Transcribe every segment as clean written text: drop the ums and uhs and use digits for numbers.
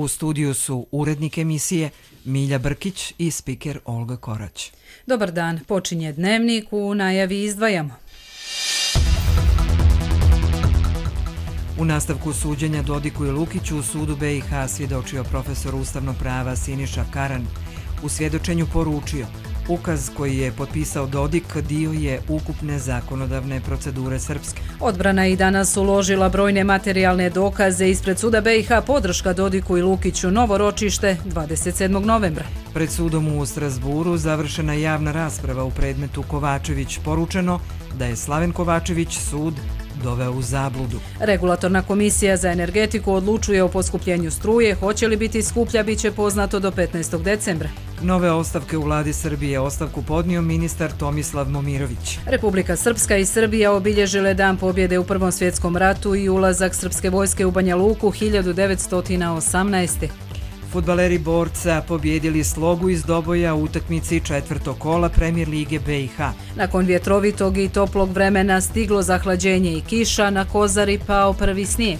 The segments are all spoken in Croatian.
U studiju su urednik emisije Milja Brkić i spiker Olga Korać. Dobar dan, počinje Dnevnik, u najavi izdvajamo. U nastavku suđenja Dodiku i Lukiću u sudu BiH svjedočio profesor ustavnog prava Siniša Karan. U svjedočenju poručio: ukaz koji je potpisao Dodik dio je ukupne zakonodavne procedure Srpske. Odbrana je i danas uložila brojne materijalne dokaze ispred suda BiH, podrška Dodiku i Lukiću, novo ročište 27. novembra. Pred sudom u Strasburu završena javna rasprava u predmetu Kovačević, poručeno da je Slaven Kovačević sud doveo u zabludu. Regulatorna komisija za energetiku odlučuje o poskupljenju struje. Hoće li biti skuplja, bit će poznato do 15. decembra. Nove ostavke u vladi Srbije. Ostavku podnio ministar Tomislav Momirović. Republika Srpska i Srbija obilježile dan pobjede u Prvom svjetskom ratu i ulazak srpske vojske u Banja Luku 1918. Fudbaleri Borca pobjedili Slogu iz Doboja u utakmici četvrtog kola Premijer lige BiH. Nakon vjetrovitog i toplog vremena stiglo zahlađenje i kiša, na Kozari pao prvi snijeg.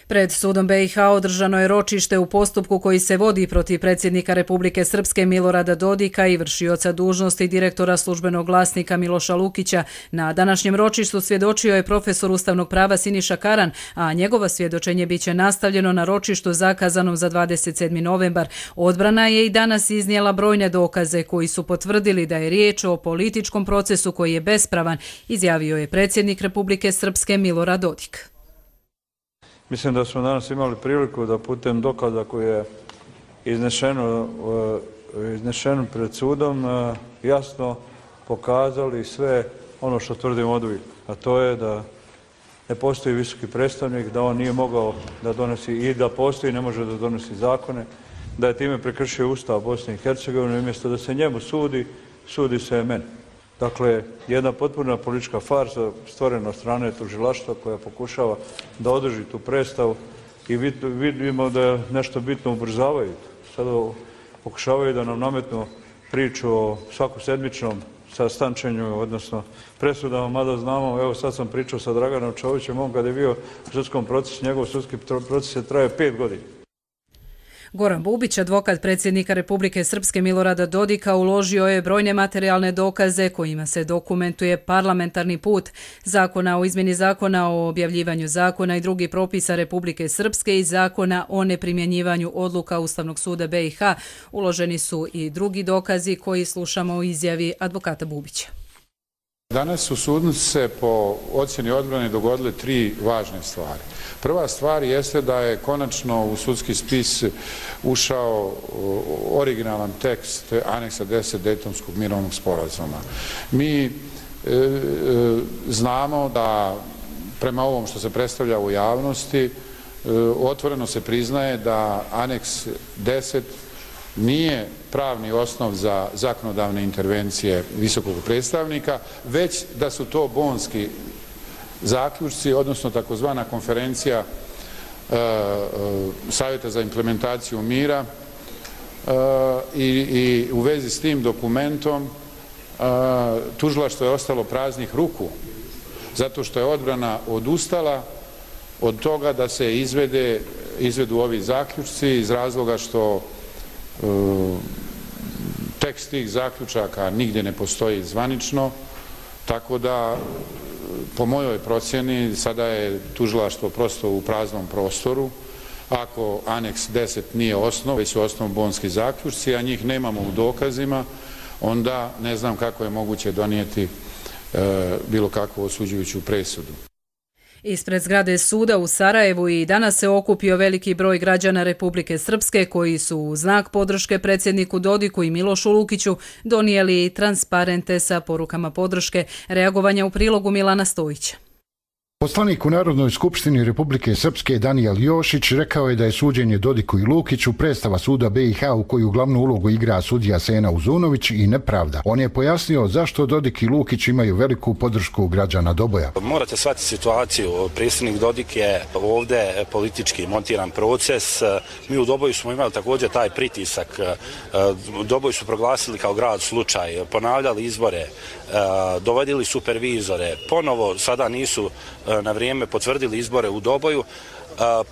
Pred sudom BiH održano je ročište u postupku koji se vodi protiv predsjednika Republike Srpske Milorada Dodika i vršioca dužnosti direktora službenog glasnika Miloša Lukića. Na današnjem ročištu svjedočio je profesor ustavnog prava Siniša Karan, a njegovo svjedočenje biće nastavljeno na ročištu zakazanom za 27. novembar. Odbrana je i danas iznijela brojne dokaze koji su potvrdili da je riječ o političkom procesu koji je bespravan, izjavio je predsjednik Republike Srpske Milorad Dodik. Mislim da smo danas imali priliku da putem dokaza koji je iznešeno pred sudom jasno pokazali sve ono što tvrdimo oduvijek, a to je da ne postoji visoki predstavnik, da on nije mogao da donosi i da postoji ne može da donosi zakone, da je time prekršio Ustav Bosne i Hercegovine, umjesto da se njemu sudi, sudi se meni. Dakle, jedna potpuna politička farsa stvorena od strane tužilaštva koja pokušava da održi tu predstavu i vidimo da nešto bitno ubrzavaju. Sada pokušavaju da nam nametnu priču o svakosedmičnom sastančenju, odnosno presudama, mada znamo, evo sad sam pričao sa Draganom Čovićem, on kad je bio u sudskom procesu, njegov sudski proces je trajao 5 godina. Goran Bubić, advokat predsjednika Republike Srpske Milorada Dodika, uložio je brojne materijalne dokaze kojima se dokumentuje parlamentarni put zakona o izmjeni zakona o objavljivanju zakona i drugih propisa Republike Srpske i zakona o neprimjenjivanju odluka Ustavnog suda BiH. Uloženi su i drugi dokazi koji slušamo u izjavi advokata Bubića. Danas u sudu se po ocjeni odbrane dogodile 3 važne stvari. Prva stvar jeste da je konačno u sudski spis ušao originalan tekst aneksa 10 Dejtonskog mirovnog sporazuma. Mi znamo da prema ovom što se predstavlja u javnosti otvoreno se priznaje da aneks 10 nije pravni osnov za zakonodavne intervencije visokog predstavnika, već da su to bonski zaključci, odnosno takozvana konferencija Savjeta za implementaciju mira i u vezi s tim dokumentom tužilaštvo je ostalo praznih ruku, zato što je odbrana odustala od toga da se izvedu ovi zaključci iz razloga što tekst tih zaključaka nigdje ne postoji zvanično, tako da po mojoj procjeni sada je tužilaštvo prosto u praznom prostoru. Ako aneks 10 nije osnov, već su osnov bonski zaključci, a njih nemamo u dokazima, onda ne znam kako je moguće donijeti bilo kakvu osuđujuću presudu. Ispred zgrade suda u Sarajevu i danas se okupio veliki broj građana Republike Srpske koji su u znak podrške predsjedniku Dodiku i Milošu Lukiću donijeli transparente sa porukama podrške, reagovanja u prilogu Milana Stojića. Poslanik u Narodnoj skupštini Republike Srpske Danijel Jošić rekao je da je suđenje Dodiku i Lukiću predstava suda BiH u koju glavnu ulogu igra sudija Sena Uzunović i nepravda. On je pojasnio zašto Dodik i Lukić imaju veliku podršku građana Doboja. Morate shvatiti situaciju. Predsjednik Dodik je ovdje politički montiran proces. Mi u Doboju smo imali također taj pritisak. Doboj su proglasili kao grad slučaj, ponavljali izbore, dovodili supervizore, ponovo sada nisu na vrijeme potvrdili izbore u Doboju,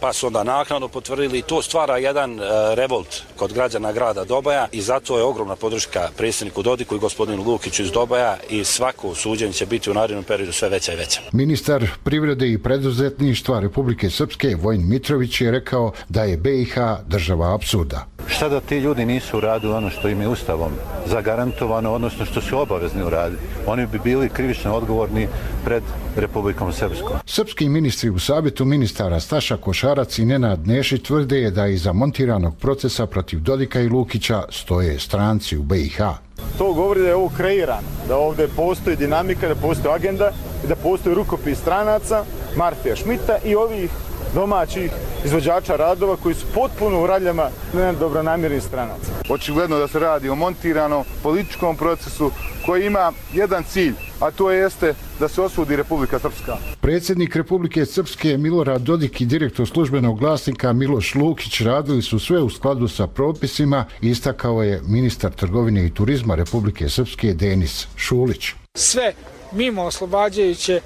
pa su onda naknadno potvrdili i to stvara jedan revolt kod građana grada Doboja i zato je ogromna podrška predsjedniku Dodiku i gospodinu Lukiću iz Doboja i svako suđenje će biti u narednom periodu sve veća i veća. Ministar privrede i preduzetništva Republike Srpske Vojin Mitrović je rekao da je BiH država apsurda. Šta da ti ljudi nisu uradili ono što im je Ustavom zagarantovano, odnosno što su obavezni uraditi? Oni bi bili krivično odgovorni pred Republikom Srpskom. Srpski ministri u savjetu ministara Staša Košarac i Nenad Nešić tvrde da iza montiranog procesa protiv Dodika i Lukića stoje stranci u BiH. To govori da je ovo kreirano, da ovdje postoji dinamika, da postoji agenda i da postoji rukopis stranaca, Marfija Šmita i ovih domaćih izvođača radova koji su potpuno u raljama nedobronamjernih stranaca. Očigledno da se radi o montiranom političkom procesu koji ima jedan cilj, a to jeste da se osudi Republika Srpska. Predsjednik Republike Srpske Milorad Dodik i direktor službenog glasnika Miloš Lukić radili su sve u skladu sa propisima, istakao je ministar trgovine i turizma Republike Srpske Denis Šulić. Sve mimo oslobađajuće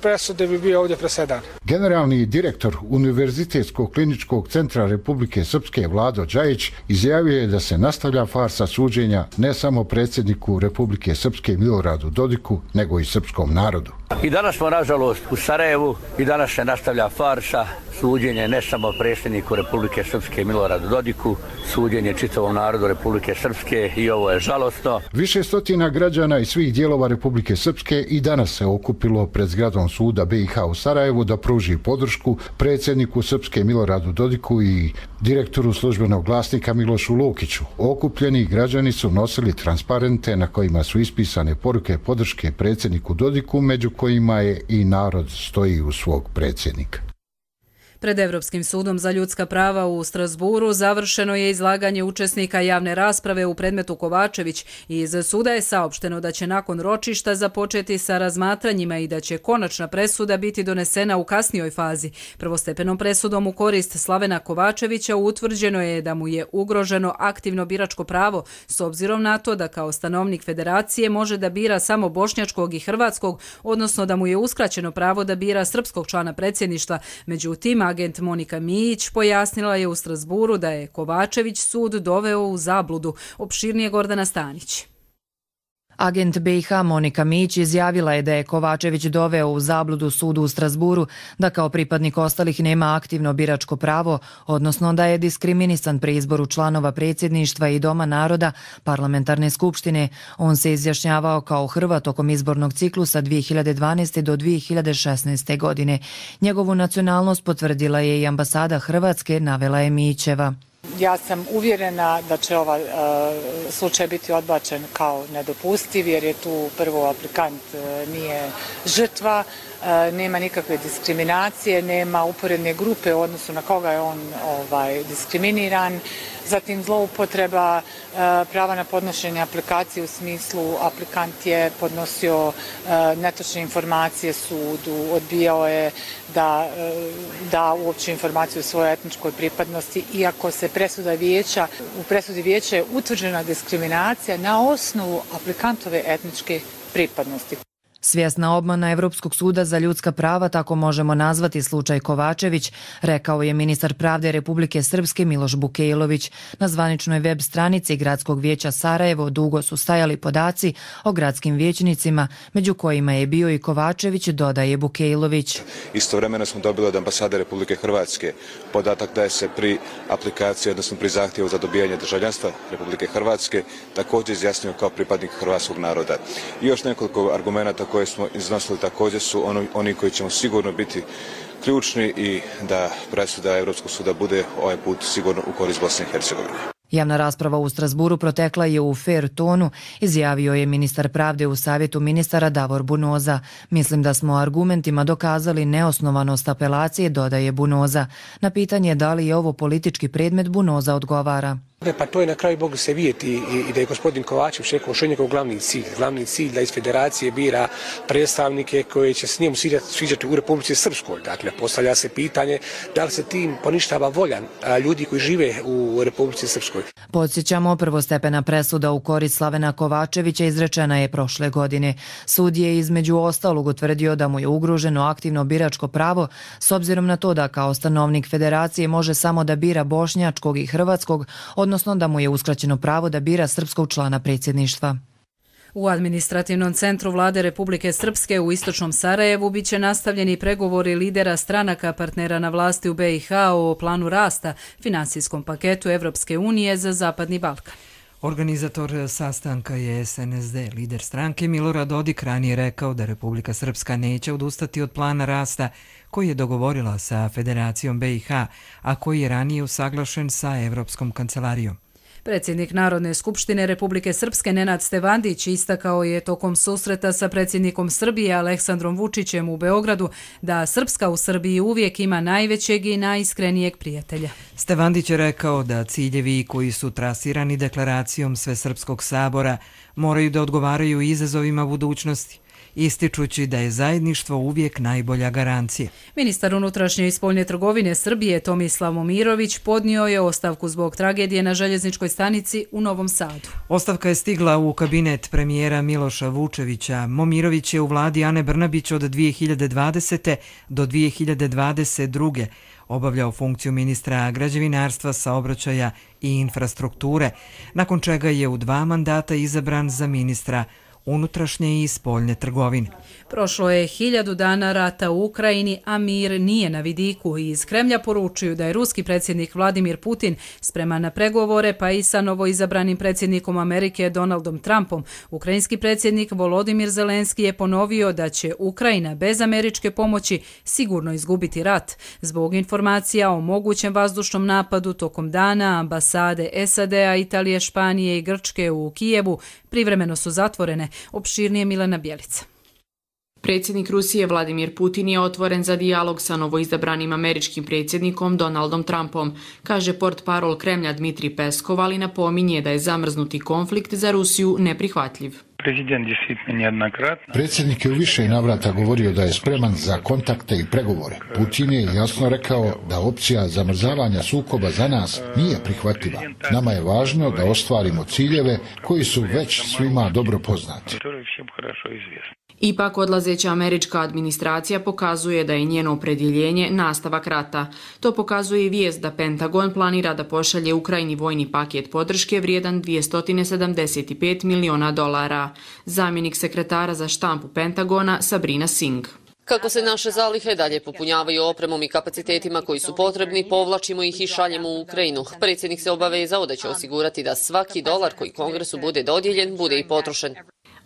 presude bi bio ovdje presedan. Generalni direktor Univerzitetskog kliničkog centra Republike Srpske Vlado Đajić izjavio je da se nastavlja farsa suđenja ne samo predsjedniku Republike Srpske Miloradu Dodiku, nego i srpskom narodu. I danas smo, nažalost, u Sarajevu i danas se nastavlja farsa suđenje ne samo predsjedniku Republike Srpske Miloradu Dodiku, suđenje čitavom narodu Republike Srpske i ovo je žalosno. Više stotina građana iz svih dijelova Republike Srpske i danas se okupilo pred zgradom suda BiH u Sarajevu da pruži podršku predsjedniku Srpske Miloradu Dodiku i direktoru službenog glasnika Milošu Lukiću. Okupljeni građani su nosili transparente na kojima su ispisane poruke podrške predsjedniku Dodiku, među kojima je i narod stoji uz svog predsjednika. Pred Evropskim sudom za ljudska prava u Strasburu završeno je izlaganje učesnika javne rasprave u predmetu Kovačević i iz suda je saopšteno da će nakon ročišta započeti sa razmatranjima i da će konačna presuda biti donesena u kasnijoj fazi. Prvostepenom presudom u korist Slavena Kovačevića utvrđeno je da mu je ugroženo aktivno biračko pravo s obzirom na to da kao stanovnik federacije može da bira samo bošnjačkog i hrvatskog, odnosno da mu je uskraćeno pravo da bira srpskog člana predsjedništva. Međutim, agent Monika Mijić pojasnila je u Strasburu da je Kovačević sud doveo u zabludu. Opširnije Gordana Stanić. Agent BiH Monika Mijić izjavila je da je Kovačević doveo u zabludu sudu u Strasburu, da kao pripadnik ostalih nema aktivno biračko pravo, odnosno da je diskriminisan pri izboru članova predsjedništva i Doma naroda parlamentarne skupštine. On se izjašnjavao kao Hrvat tokom izbornog ciklusa 2012. do 2016. godine. Njegovu nacionalnost potvrdila je i ambasada Hrvatske, navela je Mijićeva. Ja sam uvjerena da će ovaj slučaj biti odbačen kao nedopustiv jer je tu prvo aplikant nije žrtva, nema nikakve diskriminacije, nema uporedne grupe u odnosu na koga je on diskriminiran. Zatim zloupotreba prava na podnošenje aplikacije u smislu aplikant je podnosio netočne informacije sudu, odbijao je da uopće informaciju o svojoj etničkoj pripadnosti, iako se u presudi vijeća je utvrđena diskriminacija na osnovu aplikantove etničke pripadnosti. Svjesna obmana Evropskog suda za ljudska prava, tako možemo nazvati slučaj Kovačević, rekao je ministar pravde Republike Srpske Miloš Bukejlović. Na zvaničnoj web stranici Gradskog vijeća Sarajevo dugo su stajali podaci o gradskim vijećnicima, među kojima je bio i Kovačević, dodaje Bukejlović. Istovremeno smo dobili od ambasade Republike Hrvatske podatak da je se pri aplikaciji, odnosno pri zahtjevu za dobijanje državljanstva Republike Hrvatske također izjasnio kao pripadnik hrvatskog naroda. I još nekoliko argumenata koje smo iznosili također su oni koji ćemo sigurno biti ključni i da presuda Europskog suda bude ovaj put sigurno u korist Bosne i Hercegovine. Javna rasprava u Strasburu protekla je u fer tonu, izjavio je ministar pravde u savjetu ministara Davor Bunoza. Mislim da smo argumentima dokazali neosnovanost apelacije, dodaje Bunoza. Na pitanje da li je ovo politički predmet, Bunoza odgovara. Pa to je na kraju moglo se vidjeti i da je gospodin Kovačević rekao što je njegov glavni cilj da iz federacije bira predstavnike koje će s njim sviđati u Republici Srpskoj. Dakle, postavlja se pitanje da li se tim poništava volja ljudi koji žive u Republici Srpskoj. Podsjećamo, prvostepena presuda u korist Slavena Kovačevića izrečena je prošle godine. Sud je između ostalog utvrdio da mu je ugroženo aktivno biračko pravo s obzirom na to da kao stanovnik federacije može samo da bira bošnjačkog i hrvatskog, odnosno da mu je uskraćeno pravo da bira srpskog člana predsjedništva. U administrativnom centru Vlade Republike Srpske u istočnom Sarajevu biće nastavljeni pregovori lidera stranaka partnera na vlasti u BiH o planu rasta, finansijskom paketu Evropske unije za Zapadni Balkan. Organizator sastanka je SNSD. Lider stranke Milorad Dodik ranije rekao da Republika Srpska neće odustati od plana rasta koji je dogovorila sa Federacijom BiH, a koji je ranije usaglašen sa Evropskom kancelarijom. Predsjednik Narodne skupštine Republike Srpske Nenad Stevandić istakao je tokom susreta sa predsjednikom Srbije Aleksandrom Vučićem u Beogradu da Srpska u Srbiji uvijek ima najvećeg i najiskrenijeg prijatelja. Stevandić je rekao da ciljevi koji su trasirani deklaracijom Svesrpskog sabora moraju da odgovaraju izazovima budućnosti, ističući da je zajedništvo uvijek najbolja garancija. Ministar unutrašnje i spoljne trgovine Srbije Tomislav Momirović podnio je ostavku zbog tragedije na željezničkoj stanici u Novom Sadu. Ostavka je stigla u kabinet premijera Miloša Vučevića. Momirović je u vladi Ane Brnabić od 2020. do 2022. obavljao funkciju ministra građevinarstva, saobraćaja i infrastrukture, nakon čega je u 2 mandata izabran za ministra unutrašnje i spoljne trgovine. Prošlo je 1000 dana rata u Ukrajini, a mir nije na vidiku i iz Kremlja poručuju da je ruski predsjednik Vladimir Putin spreman na pregovore, pa i sa novoizabranim predsjednikom Amerike Donaldom Trumpom. Ukrajinski predsjednik Volodimir Zelenski je ponovio da će Ukrajina bez američke pomoći sigurno izgubiti rat. Zbog informacija o mogućem vazdušnom napadu tokom dana ambasade SAD-a, Italije, Španije i Grčke u Kijevu privremeno su zatvorene. Opširnije Milena Bjelica. Predsjednik Rusije Vladimir Putin je otvoren za dijalog sa novoizabranim američkim predsjednikom Donaldom Trumpom, kaže portparol Kremlja Dmitrij Peskov, ali napominje da je zamrznuti konflikt za Rusiju neprihvatljiv. Predsjednik je u više navrata govorio da je spreman za kontakte i pregovore. Putin je jasno rekao da opcija zamrzavanja sukoba za nas nije prihvatljiva. Nama je važno da ostvarimo ciljeve koji su već svima dobro poznati. Ipak, odlazeća američka administracija pokazuje da je njeno opredjeljenje nastavak rata. To pokazuje i vijest da Pentagon planira da pošalje Ukrajini vojni paket podrške vrijedan $275 miliona. Zamjenik sekretara za štampu Pentagona Sabrina Singh. Kako se naše zalihe dalje popunjavaju opremom i kapacitetima koji su potrebni, povlačimo ih i šaljemo u Ukrajinu. Predsjednik se obavezao da će osigurati da svaki dolar koji Kongresu bude dodijeljen bude i potrošen.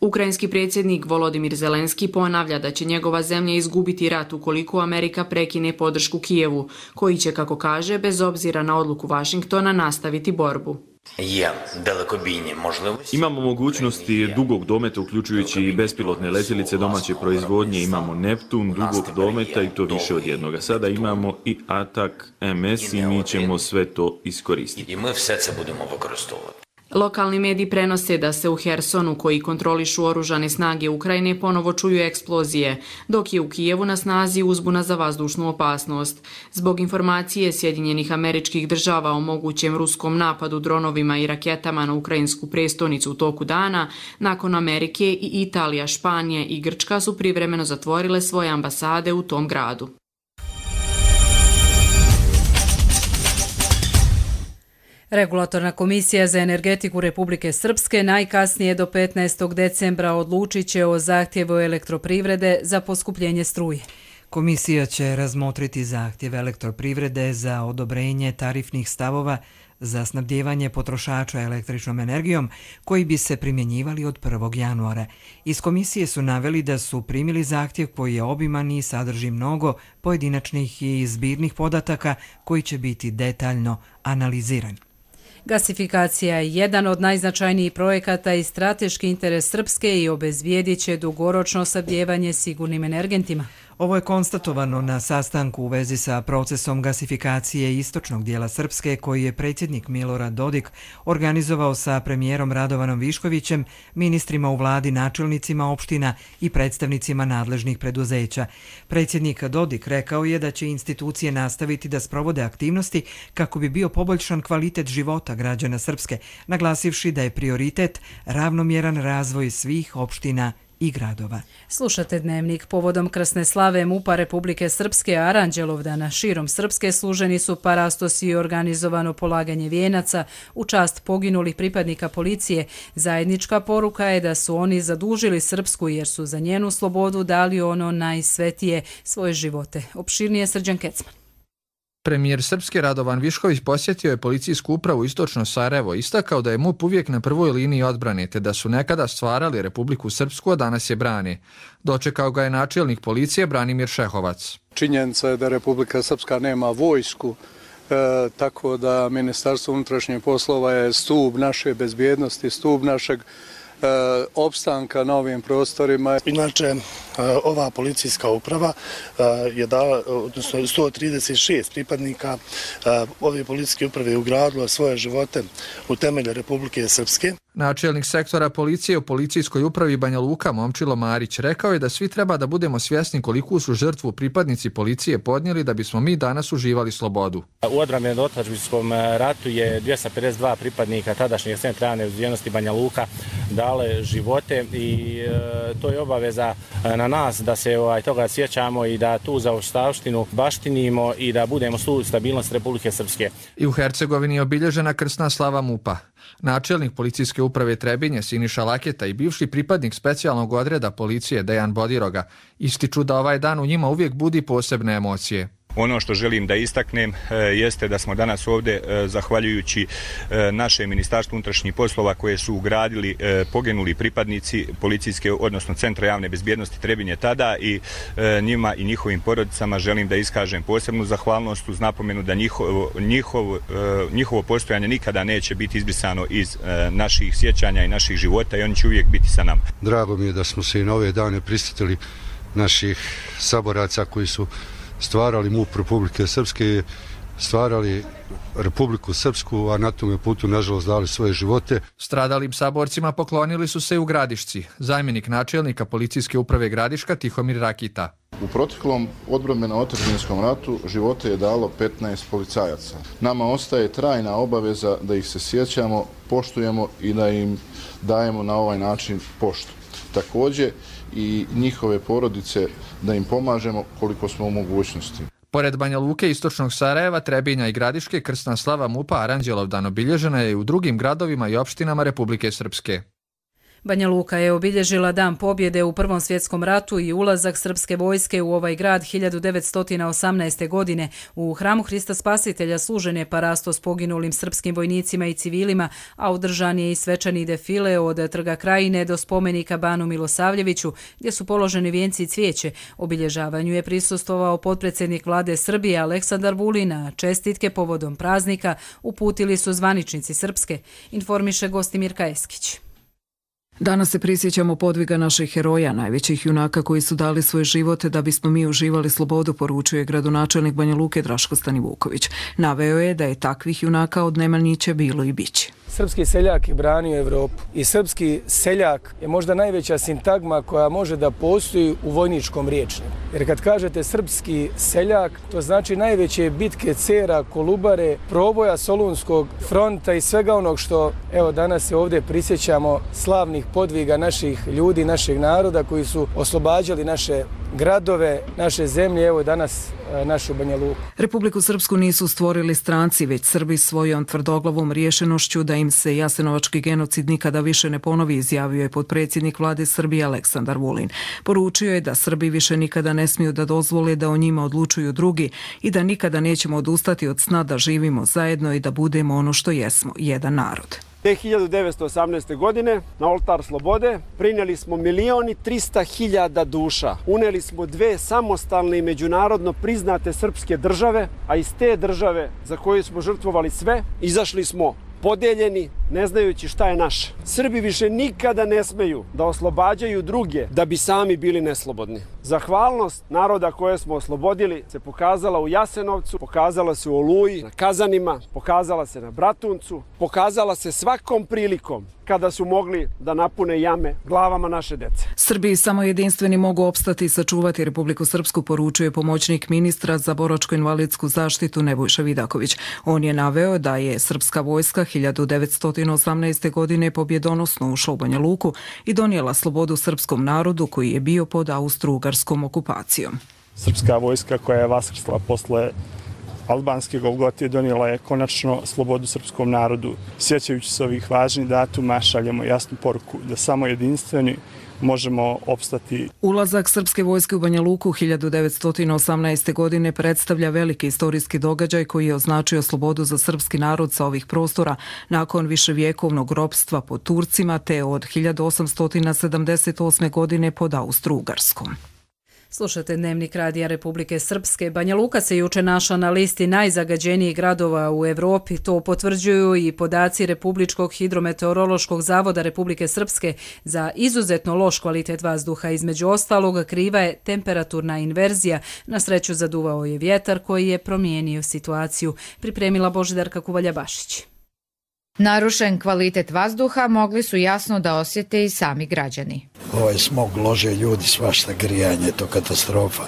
Ukrajinski predsjednik Volodimir Zelenski ponavlja da će njegova zemlja izgubiti rat ukoliko Amerika prekine podršku Kijevu, koji će, kako kaže, bez obzira na odluku Vašingtona nastaviti borbu. Imamo mogućnosti dugog dometa, uključujući i bespilotne letjelice domaće proizvodnje. Imamo Neptun dugog dometa i to više od jednoga. Sada imamo i Atak MS i mi ćemo sve to iskoristiti. Lokalni mediji prenose da se u Hersonu, koji kontrolišu oružane snage Ukrajine, ponovo čuju eksplozije, dok je u Kijevu na snazi uzbuna za vazdušnu opasnost. Zbog informacije Sjedinjenih Američkih Država o mogućem ruskom napadu dronovima i raketama na ukrajinsku prestonicu u toku dana, nakon Amerike i Italija, Španija i Grčka su privremeno zatvorile svoje ambasade u tom gradu. Regulatorna komisija za energetiku Republike Srpske najkasnije do 15. decembra odlučit će o zahtjevu elektroprivrede za poskupljenje struje. Komisija će razmotriti zahtjev elektroprivrede za odobrenje tarifnih stavova za snabdijevanje potrošača električnom energijom koji bi se primjenjivali od 1. januara. Iz komisije su naveli da su primili zahtjev koji je obiman i sadrži mnogo pojedinačnih i zbirnih podataka koji će biti detaljno analiziran. Gasifikacija je jedan od najznačajnijih projekata i strateški interes Srpske i obezbijedit će dugoročno snabdijevanje sigurnim energentima. Ovo je konstatovano na sastanku u vezi sa procesom gasifikacije istočnog dijela Srpske koji je predsjednik Milorad Dodik organizovao sa premijerom Radovanom Viškovićem, ministrima u vladi, načelnicima opština i predstavnicima nadležnih preduzeća. Predsjednik Dodik rekao je da će institucije nastaviti da sprovode aktivnosti kako bi bio poboljšan kvalitet života građana Srpske, naglasivši da je prioritet ravnomjeran razvoj svih opština i gradova. Slušate Dnevnik. Povodom krsne slave MUP-a Republike Srpske Aranđelovdana širom Srpske služeni su parastosi i organizovano polaganje vijenaca u čast poginulih pripadnika policije. Zajednička poruka je da su oni zadužili Srpsku jer su za njenu slobodu dali ono najsvetije, svoje živote. Opširnije Srđan Kecman. Premijer Srpske Radovan Višković posjetio je policijsku upravu Istočno Sarajevo, istakao da je MUP uvijek na prvoj liniji odbrane, te da su nekada stvarali Republiku Srpsku, a danas je brane. Dočekao ga je načelnik policije Branimir Šehovac. Činjenica je da Republika Srpska nema vojsku, tako da Ministarstvo unutrašnjih poslova je stub naše bezbjednosti, stub našeg opstanka na ovim prostorima. Inače, ova policijska uprava je dala, odnosno 136 pripadnika ove policijske uprave je ugradilo svoje živote u temelje Republike Srpske. Načelnik sektora policije u policijskoj upravi Banja Luka Momčilo Marić rekao je da svi treba da budemo svjesni koliku su žrtvu pripadnici policije podnijeli da bismo mi danas uživali slobodu. U odbrambeno-otadžbinskom ratu je 252 pripadnika tadašnjeg centra javne bezbjednosti Banja Luka dale živote i to je obaveza na nas da se toga sjećamo i da tu zaostavštinu baštinimo i da budemo stub stabilnosti Republike Srpske. I u Hercegovini je obilježena krsna slava MUP-a. Načelnik policijske uprave Trebinje Siniša Laketa i bivši pripadnik specijalnog odreda policije Dejan Bodiroga ističu da ovaj dan u njima uvijek budi posebne emocije. Ono što želim da istaknem jeste da smo danas ovdje, zahvaljujući našem Ministarstvu unutrašnjih poslova koje su ugradili poginuli pripadnici policijske, odnosno Centra javne bezbjednosti Trebinje tada i njima i njihovim porodicama želim da iskažem posebnu zahvalnost uz napomenu da njihovo postojanje nikada neće biti izbrisano iz naših sjećanja i naših života i oni će uvijek biti sa nama. Drago mi je da smo se i na ove dane prisjetili naših saboraca koji su stvarali MUP Republike Srpske, stvarali Republiku Srpsku, a na tome putu nažalost dali svoje živote. Stradalim saborcima poklonili su se i u Gradišci. Zamjenik načelnika policijske uprave Gradiška Tihomir Rakita. U proteklom odbrambeno-otadžbinskom ratu živote je dalo 15 policajaca. Nama ostaje trajna obaveza da ih se sjećamo, poštujemo i da im dajemo na ovaj način poštu. Također i njihove porodice da im pomažemo koliko smo u mogućnosti. Pored Banja Luke, Istočnog Sarajeva, Trebinja i Gradiške, krsna slava MUP-a Aranđelovdan obilježena je i u drugim gradovima i opštinama Republike Srpske. Banja Luka je obilježila Dan pobjede u Prvom svjetskom ratu i ulazak srpske vojske u ovaj grad 1918. godine. U hramu Hrista Spasitelja služen je parastos poginulim srpskim vojnicima i civilima, a održan je i svečani defile od Trga Krajine do spomenika Banu Milosavljeviću, gdje su položeni vijenci i cvijeće. Obilježavanju je prisustvovao potpredsjednik vlade Srbije Aleksandar Vulin, a čestitke povodom praznika uputili su zvaničnici Srpske, informiše Gostimir Kajeskić. Danas se prisjećamo podviga naših heroja, najvećih junaka koji su dali svoje živote da bismo mi uživali slobodu, poručuje gradonačelnik Banja Luke Draško Stanivuković. Naveo je da je takvih junaka od Nemanjića bilo i biće. Srpski seljak je branio Evropu i srpski seljak je možda najveća sintagma koja može da postoji u vojničkom riječniku. Jer kad kažete srpski seljak, to znači najveće bitke Cera, Kolubare, proboja Solunskog fronta i svega onog što evo danas se ovdje prisjećamo slavnih podviga naših ljudi, našeg naroda koji su oslobađali naše gradove, naše zemlje, evo danas našu Banja Luku. Republiku Srpsku nisu stvorili stranci, već Srbi svojom tvrdoglavom rješenošću da im se jasenovački genocid nikada više ne ponovi, izjavio je potpredsjednik vlade Srbije Aleksandar Vulin. Poručio je da Srbi više nikada ne smiju da dozvole da o njima odlučuju drugi i da nikada nećemo odustati od sna da živimo zajedno i da budemo ono što jesmo, jedan narod. Te 1918. godine na oltar slobode prinijeli smo 1.300.000 duša. Uneli smo 2 samostalne i međunarodno priznate srpske države, a iz te države za koju smo žrtvovali sve, izašli smo podeljeni, ne znajući šta je naše. Srbi više nikada ne smeju da oslobađaju druge da bi sami bili neslobodni. Zahvalnost naroda koje smo oslobodili se pokazala u Jasenovcu, pokazala se u Oluji, na Kazanima, pokazala se na Bratuncu, pokazala se svakom prilikom kada su mogli da napune jame glavama naše dece. Srbiji samo jedinstveni mogu opstati i sačuvati Republiku Srpsku, poručuje pomoćnik ministra za boračko-invalidsku zaštitu Nebojša Vidaković. On je naveo da je srpska vojska 1918. godine pobjedonosno ušla u Banja Luku i donijela slobodu srpskom narodu koji je bio pod austro-ugarskom okupacijom. Srpska vojska koja je vaskrsla posle albanske Golgote donijela je konačno slobodu srpskom narodu. Sjećajući se ovih važnih datuma, šaljemo jasnu poruku da samo jedinstveni možemo opstati. Ulazak srpske vojske u Banja Luku 1918. godine predstavlja veliki istorijski događaj koji je označio slobodu za srpski narod sa ovih prostora nakon viševjekovnog ropstva pod Turcima te od 1878. godine pod Austro-Ugarskom. Slušate Dnevnik Radija Republike Srpske. Banja Luka se juče našla na listi najzagađenijih gradova u Evropi. To potvrđuju i podaci Republičkog hidrometeorološkog zavoda Republike Srpske. Za izuzetno loš kvalitet vazduha, između ostalog, kriva je temperaturna inverzija. Na sreću zaduvao je vjetar koji je promijenio situaciju. Pripremila Božidarka Kuvalja-Bašić. Narušen kvalitet vazduha mogli su jasno da osjete i sami građani. Ovaj smog lože ljudi, svašta grijanje, to katastrofa.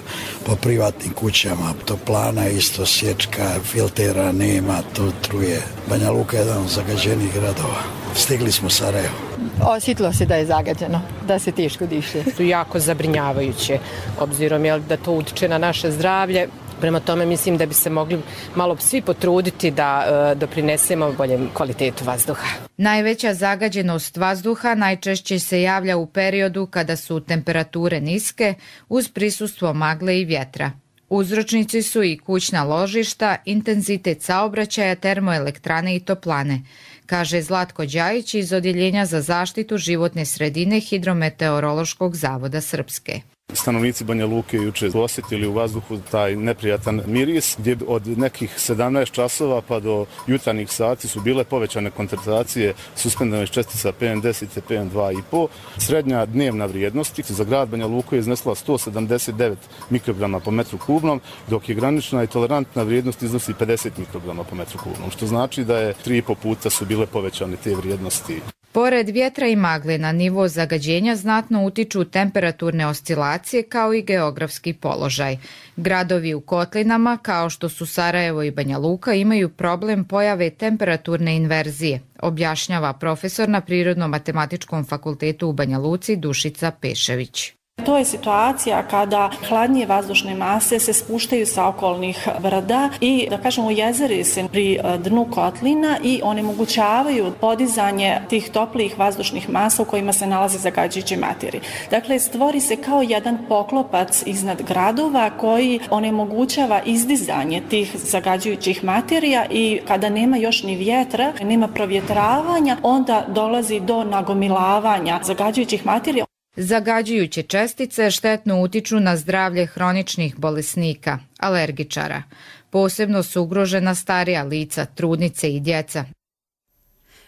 Po privatnim kućama, toplana isto, sječka, filtera nema, to truje. Banja Luka je jedan od zagađenih gradova. Stigli smo Sarajevo. Osjetilo se da je zagađeno, da se teško diše. Su jako zabrinjavajuće, obzirom da to utiče na naše zdravlje. Prema tome mislim da bi se mogli malo svi potruditi da doprinesemo boljem kvalitetu vazduha. Najveća zagađenost vazduha najčešće se javlja u periodu kada su temperature niske uz prisustvo magle i vjetra. Uzročnici su i kućna ložišta, intenzitet saobraćaja, termoelektrane i toplane, kaže Zlatko Đajić iz Odjeljenja za zaštitu životne sredine Hidrometeorološkog zavoda Srpske. Stanovnici Banja Luke juče osjetili u vazduhu taj neprijatan miris, gdje od nekih 17 časova pa do jutarnjih sati su bile povećane koncentracije suspendovanih čestica PM10 i PM2,5. Srednja dnevna vrijednost za grad Banja Luku je iznesla 179 mikrograma po metru kubnom, dok je granična i tolerantna vrijednost iznosi 50 mikrograma po metru kubnom, što znači da je 3,5 puta su bile povećane te vrijednosti. Pored vjetra i magle na nivo zagađenja znatno utiču temperaturne oscilacije kao i geografski položaj. Gradovi u kotlinama kao što su Sarajevo i Banja Luka imaju problem pojave temperaturne inverzije, objašnjava profesor na Prirodno-matematičkom fakultetu u Banja Luci Dušica Pešević. To je situacija kada hladnije vazdušne mase se spuštaju sa okolnih brda i, da kažemo, jezeri se pri dnu kotlina i onemogućavaju podizanje tih toplijih vazdušnih masa u kojima se nalaze zagađujuće materije. Dakle, stvori se kao jedan poklopac iznad gradova koji onemogućava izdizanje tih zagađujućih materija i kada nema još ni vjetra, nema provjetravanja, onda dolazi do nagomilavanja zagađujućih materija. Zagađujuće čestice štetno utiču na zdravlje hroničnih bolesnika, alergičara. Posebno su ugrožena starija lica, trudnice i djeca.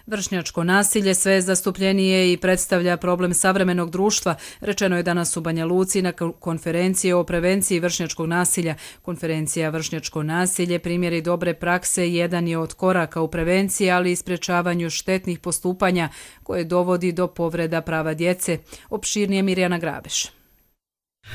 Vršnjačko nasilje sve zastupljenije i predstavlja problem savremenog društva, rečeno je danas u Banja Luci na konferenciji o prevenciji vršnjačkog nasilja. Konferencija Vršnjačko nasilje, primjeri dobre prakse, jedan je od koraka u prevenciji, ali i sprječavanju štetnih postupanja koje dovodi do povreda prava djece. Opširnije Mirjana Grabeš.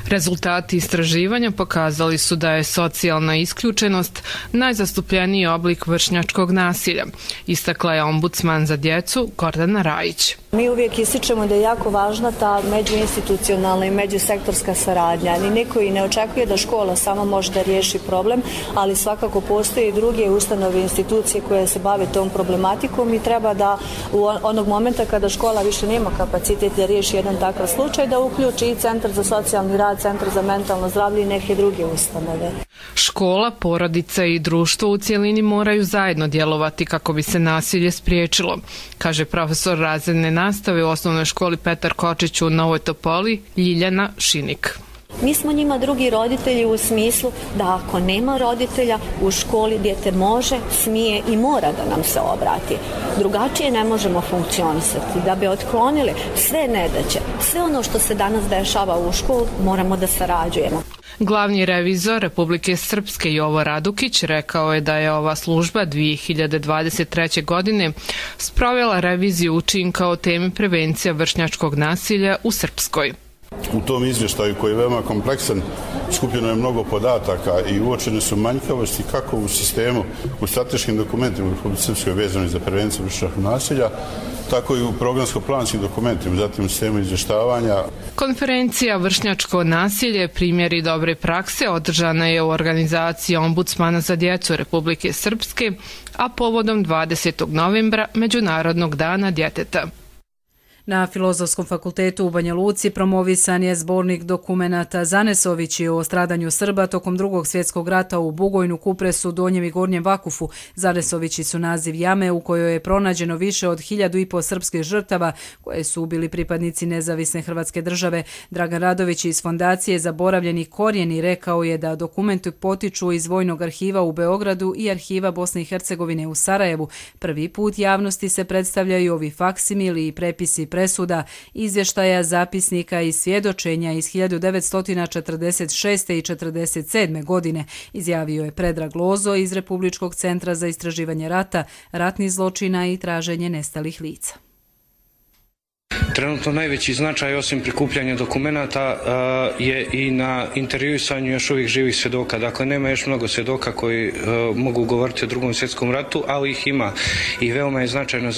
Rezultati istraživanja pokazali su da je socijalna isključenost najzastupljeniji oblik vršnjačkog nasilja, istakla je ombudsman za djecu Gordana Rajić. Mi uvijek ističemo da je jako važna ta međuinstitucionalna i međusektorska saradnja. Ni niko i ne očekuje da škola sama može da riješi problem, ali svakako postoje i druge ustanove i institucije koje se bave tom problematikom i treba da u onog momenta kada škola više nema kapacitet da riješi jedan takav slučaj, da uključi i Centar za socijalni rad, Centar za mentalno zdravlje i neke druge ustanove. Škola, porodica i društvo u cjelini moraju zajedno djelovati kako bi se nasilje spriječilo, kaže profesor razredne nastave u osnovnoj školi Petar Kočić u Novoj Topoli Ljiljana Šinik. Mi smo njima drugi roditelji u smislu da ako nema roditelja u školi dijete može, smije i mora da nam se obrati. Drugačije ne možemo funkcionisati. Da bi otklonili sve nedaće, sve ono što se danas dešava u školu, moramo da sarađujemo. Glavni revizor Republike Srpske Jovo Radukić rekao je da je ova služba 2023. godine sprovela reviziju učinka o temi prevencija vršnjačkog nasilja u Srpskoj. U tom izvještaju koji je veoma kompleksan skupljeno je mnogo podataka i uočene su manjkavosti kako u sistemu, u strateškim dokumentima u Republike Srpskoj vezani za prevenciju vršnjačkog nasilja, tako i u programsko-planskim dokumentima, zatim u sistemu izvještavanja. Konferencija Vršnjačko nasilje, primjeri dobre prakse, održana je u organizaciji Ombudsmana za djecu Republike Srpske, a povodom 20. novembra Međunarodnog dana djeteta. Na Filozofskom fakultetu u Banja Luci promovisan je zbornik dokumenata Zanesovići o stradanju Srba tokom Drugog svjetskog rata u Bugojnu, Kupresu, Donjem i Gornjem Vakufu. Zanesovići su naziv jame u kojoj je pronađeno više od 1500 srpskih žrtava koje su ubili pripadnici nezavisne Hrvatske države. Dragan Radović iz Fondacije Zaboravljeni korijeni rekao je da dokumenti potiču iz Vojnog arhiva u Beogradu i Arhiva Bosne i Hercegovine u Sarajevu. Prvi put javnosti se predstavljaju ovi faksimili i prepisi presuda, izvještaja, zapisnika i svjedočenja iz 1946. i 1947. godine, izjavio je Predrag Lozo iz Republičkog centra za istraživanje rata, ratnih zločina i traženje nestalih lica. Trenutno najveći značaj osim prikupljanja dokumenata je i na intervjuisanju još uvijek živih svjedoka. Dakle, nema još mnogo svjedoka koji mogu govoriti o Drugom svjetskom ratu, ali ih ima i veoma je značajno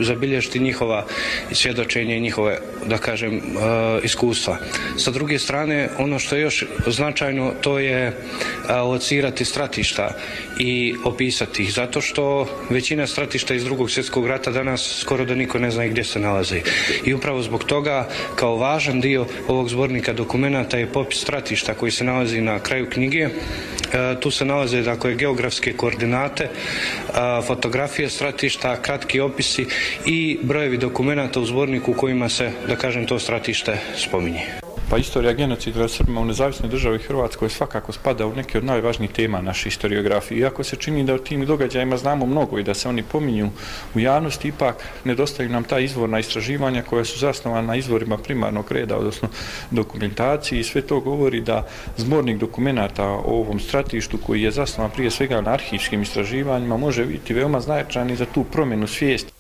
zabilježiti njihova svjedočenje i njihove, da kažem, iskustva. Sa druge strane, ono što je još značajno, to je locirati stratišta i opisati ih, zato što većina stratišta iz Drugog svjetskog rata danas skoro da niko ne zna gdje se nalazi. I upravo zbog toga, kao važan dio ovog zbornika dokumenata je popis stratišta koji se nalazi na kraju knjige. Tu se nalaze, dakle, geografske koordinate, fotografije stratišta, kratki opisi i brojevi dokumenata u zborniku u kojima se, da kažem, to stratište spominje. Pa istorija genocida nad Srbima u nezavisnoj državi Hrvatskoj svakako spada u neke od najvažnijih tema naše historiografije. Iako se čini da o tim događajima znamo mnogo i da se oni pominju u javnosti, ipak nedostaju nam ta izvorna istraživanja koja su zasnovana na izvorima primarnog reda, odnosno dokumentaciji, i sve to govori da zbornik dokumenata o ovom stratištu, koji je zasnovan prije svega na arhivskim istraživanjima, može biti veoma značajan i za tu promjenu svijesti.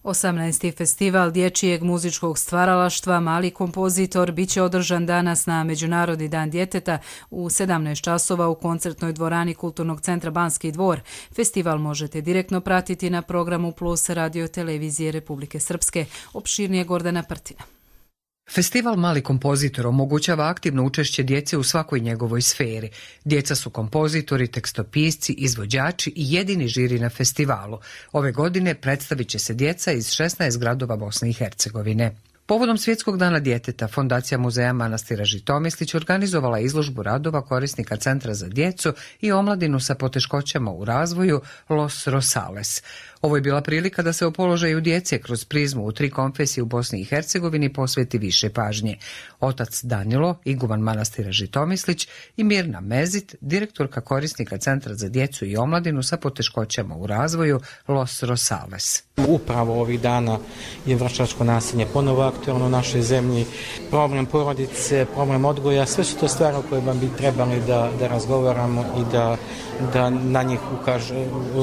18. festival dječjeg muzičkog stvaralaštva Mali kompozitor biće održan danas na Međunarodni dan djeteta u 17 časova u koncertnoj dvorani Kulturnog centra Banski dvor. Festival možete direktno pratiti na programu Plus radio televizije Republike Srpske. Opširnije Gordana Prtina. Festival Mali kompozitor omogućava aktivno učešće djece u svakoj njegovoj sferi. Djeca su kompozitori, tekstopisci, izvođači i jedini žiri na festivalu. Ove godine predstavit će se djeca iz 16 gradova Bosne i Hercegovine. Povodom Svjetskog dana djeteta, Fondacija muzeja manastira Žitomislić organizovala izložbu radova korisnika Centra za djecu i omladinu sa poteškoćama u razvoju Los Rosales. Ovo je bila prilika da se o položaju djece kroz prizmu u 3 konfesije u Bosni i Hercegovini posveti više pažnje. Otac Danilo, iguman manastira Žitomislić, i Mirna Mezit, direktorka korisnika Centra za djecu i omladinu sa poteškoćama u razvoju Los Rosales. Upravo ovih dana je vršnjačko nasilje ponovo aktualno u našoj zemlji. Problem porodice, problem odgoja, sve su to stvari o kojima bi trebali da razgovaramo i da na njih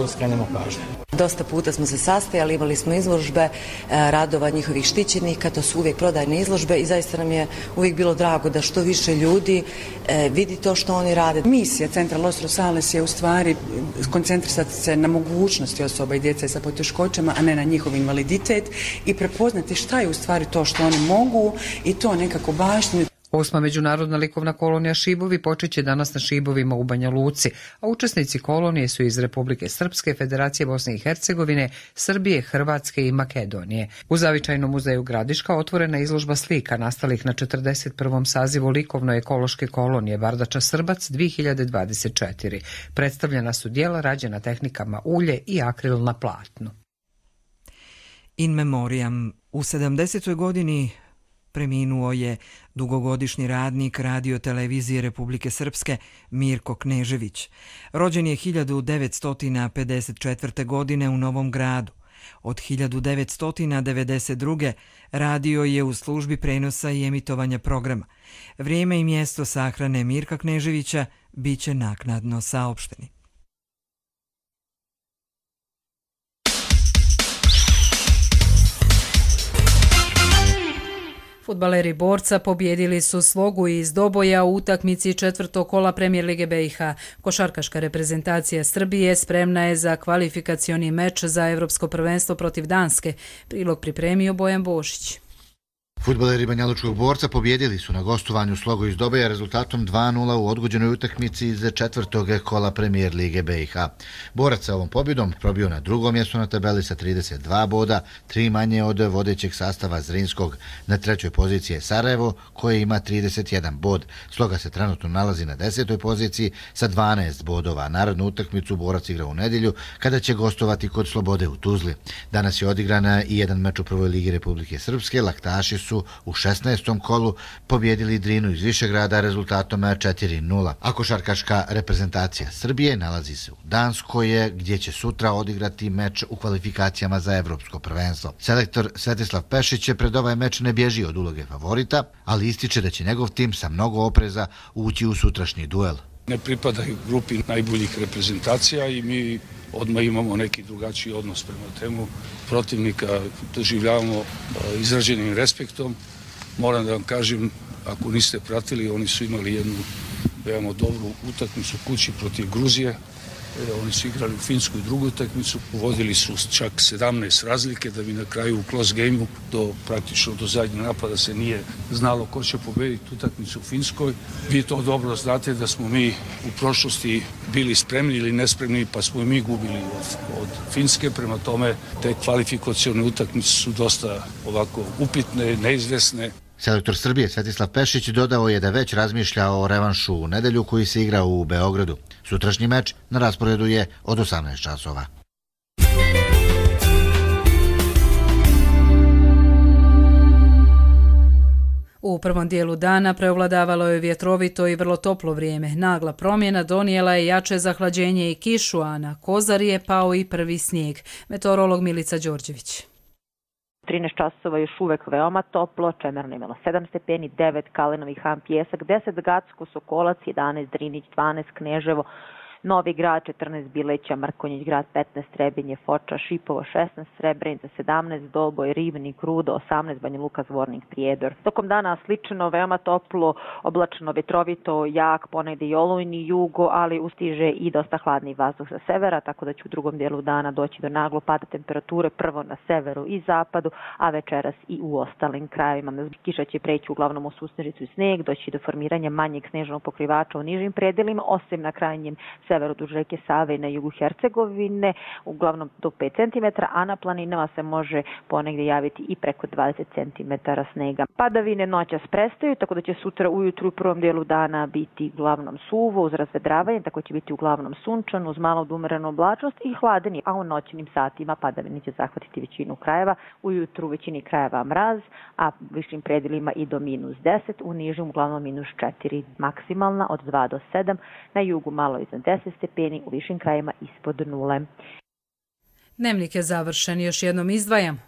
skrenemo pažnju. Dosta puta smo se sastajali, imali smo izložbe radova njihovih štićenika, to su uvijek prodajne izložbe i zaista nam je uvijek bilo drago da što više ljudi vidi to što oni rade. Misija Centra Los Rosales je u stvari koncentrisati se na mogućnosti osoba i djece sa poteškoćama, a ne na njihov invaliditet, i prepoznati šta je u stvari to što oni mogu i to nekako baštinu. 8. međunarodna likovna kolonija Šibovi počeće danas na Šibovima u Banja Luci, a učesnici kolonije su iz Republike Srpske, Federacije Bosne i Hercegovine, Srbije, Hrvatske i Makedonije. U Zavičajnom muzeju Gradiška otvorena izložba slika nastalih na 41. sazivu likovno-ekološke kolonije Vardača Srbac 2024. Predstavljena su djela rađena tehnikama ulje i akril na platnu. In memoriam. U 70. godini preminuo je dugogodišnji radnik Radio televizije Republike Srpske Mirko Knežević. Rođen je 1954. godine u Novom Gradu. Od 1992. radio je u službi prenosa i emitovanja programa. Vrijeme i mjesto sahrane Mirka Kneževića biće naknadno saopšteni. Fudbaleri Borca pobjedili su Slogu iz Doboja u utakmici četvrtog kola Premijer Lige BiH. Košarkaška reprezentacija Srbije spremna je za kvalifikacioni meč za Evropsko prvenstvo protiv Danske. Prilog pripremio Bojan Bošić. Fudbaleri Banjalučkog Borca pobjedili su na gostovanju Slogu iz Doboja rezultatom 2:0 u odgođenoj utakmici iz četvrtog kola Premijer Lige BiH. Borac sa ovom pobjedom probio na drugom mjestu na tabeli sa 32 boda, 3 manje od vodećeg sastava Zrinskog. Na trećoj poziciji je Sarajevo koje ima 31 bod. Sloga se trenutno nalazi na 10. poziciji sa 12 bodova. Narodnu utakmicu Borac igra u nedjelju kada će gostovati kod Slobode u Tuzli. Danas je odigrana i jedan meč u prvoj ligi Republike Srpske. Laktaši su u 16. kolu pobjedili Drinu iz Višegrada rezultatom 4:0. A košarkaška reprezentacija Srbije nalazi se u Danskoj gdje će sutra odigrati meč u kvalifikacijama za Evropsko prvenstvo. Selektor Svetislav Pešić pred ovaj meč ne bježi od uloge favorita, ali ističe da će njegov tim sa mnogo opreza ući u sutrašnji duel. Ne pripadaju grupi najboljih reprezentacija i mi odmah imamo neki drugačiji odnos prema temu protivnika, doživljavamo izraženim respektom. Moram da vam kažem, ako niste pratili, oni su imali jednu veoma dobru utakmicu kući protiv Gruzije. Oni su igrali u Finsku drugu utakmicu, vodili su čak 17 razlike da bi na kraju u close game-u praktično do zadnjeg napada se nije znalo ko će pobediti utakmicu u Finskoj. Vi to dobro znate da smo mi u prošlosti bili spremni ili nespremni pa smo i mi gubili od Finske, prema tome te kvalifikacione utakmice su dosta ovako upitne, neizvesne. Selektor Srbije Svetislav Pešić dodao je da već razmišlja o revanšu u nedjelju koji se igra u Beogradu. Sutrašnji meč na rasporedu je od 18 časova. U prvom dijelu dana preovladavalo je vjetrovito i vrlo toplo vrijeme. Nagla promjena donijela je jače zahlađenje i kišu, a na Kozari je pao i prvi snijeg. Meteorolog Milica Đorđević. 13 časova još uvek veoma toplo, Čemerno imalo 7 stepeni, 9 Kalinovi Han Pjesak, 10 Gacko, Sokolac, 11 Drinić, 12 Kneževo, Novi Grad, 14 Bileća, Mrkonjić Grad, 15 Trebinje, Foča, Šipovo, 16 Srebrenica, 17 Doboj, Ribnik, Rudo, 18 Banja Luka, Zvornik, Prijedor. Tokom dana slično, veoma toplo, oblačno, vetrovito, jak, ponegde i olujni jugo, ali ustiže i dosta hladni vazduh sa severa, tako da će u drugom dijelu dana doći do naglo pada temperature, prvo na severu i zapadu, a večeras i u ostalim krajevima. Kiša će preći uglavnom u susnežicu i sneg, doći do formiranja manjeg snežnog pokrivača u nižim predelima, osim na krajnjem severu duž reke Save i na jugu Hercegovine, uglavnom do 5 cm, a na planinama se može ponegdje javiti i preko 20 cm snega. Padavine noćas prestaju, tako da će sutra ujutru u prvom dijelu dana biti uglavnom suvo uz razvedravanje, tako će biti uglavnom sunčano uz malo umerenu oblačnost i hladeni, a u noćnim satima padavine će zahvatiti većinu krajeva, ujutru u većini krajeva mraz, a u višim predelima i do -10, u nižim uglavnom -4 maksimalna od 2 do 7, na jugu malo iznad 10 stepeni, u višim krajima ispod 0. Dnevnik je završen, još jednom izdvajam.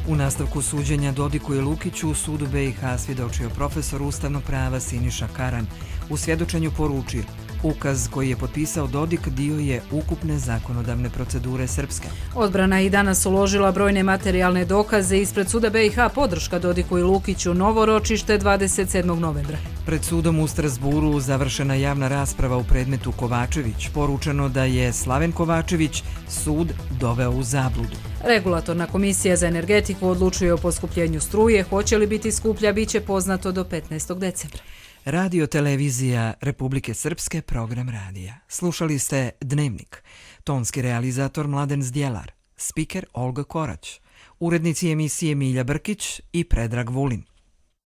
U nastavku suđenja Dodiku i Lukiću u sudu BiH svjedočio profesor ustavnog prava Siniša Karan. U svjedočenju poručio: ukaz koji je potpisao Dodik dio je ukupne zakonodavne procedure Srpske. Odbrana i danas uložila brojne materijalne dokaze ispred suda BiH, podrška Dodiku i Lukiću, novo ročište 27. novembra. Pred sudom u Strasburu završena javna rasprava u predmetu Kovačević. Poručeno da je Slaven Kovačević sud doveo u zabludu. Regulatorna komisija za energetiku odlučuje o poskupljenju struje. Hoće li biti skuplja, bit će poznato do 15. decembra. Radio televizija Republike Srpske, program radija. Slušali ste Dnevnik. Tonski realizator Mladen Zdjelar. Spiker Olga Korać. Urednici emisije Milja Brkić i Predrag Vulin.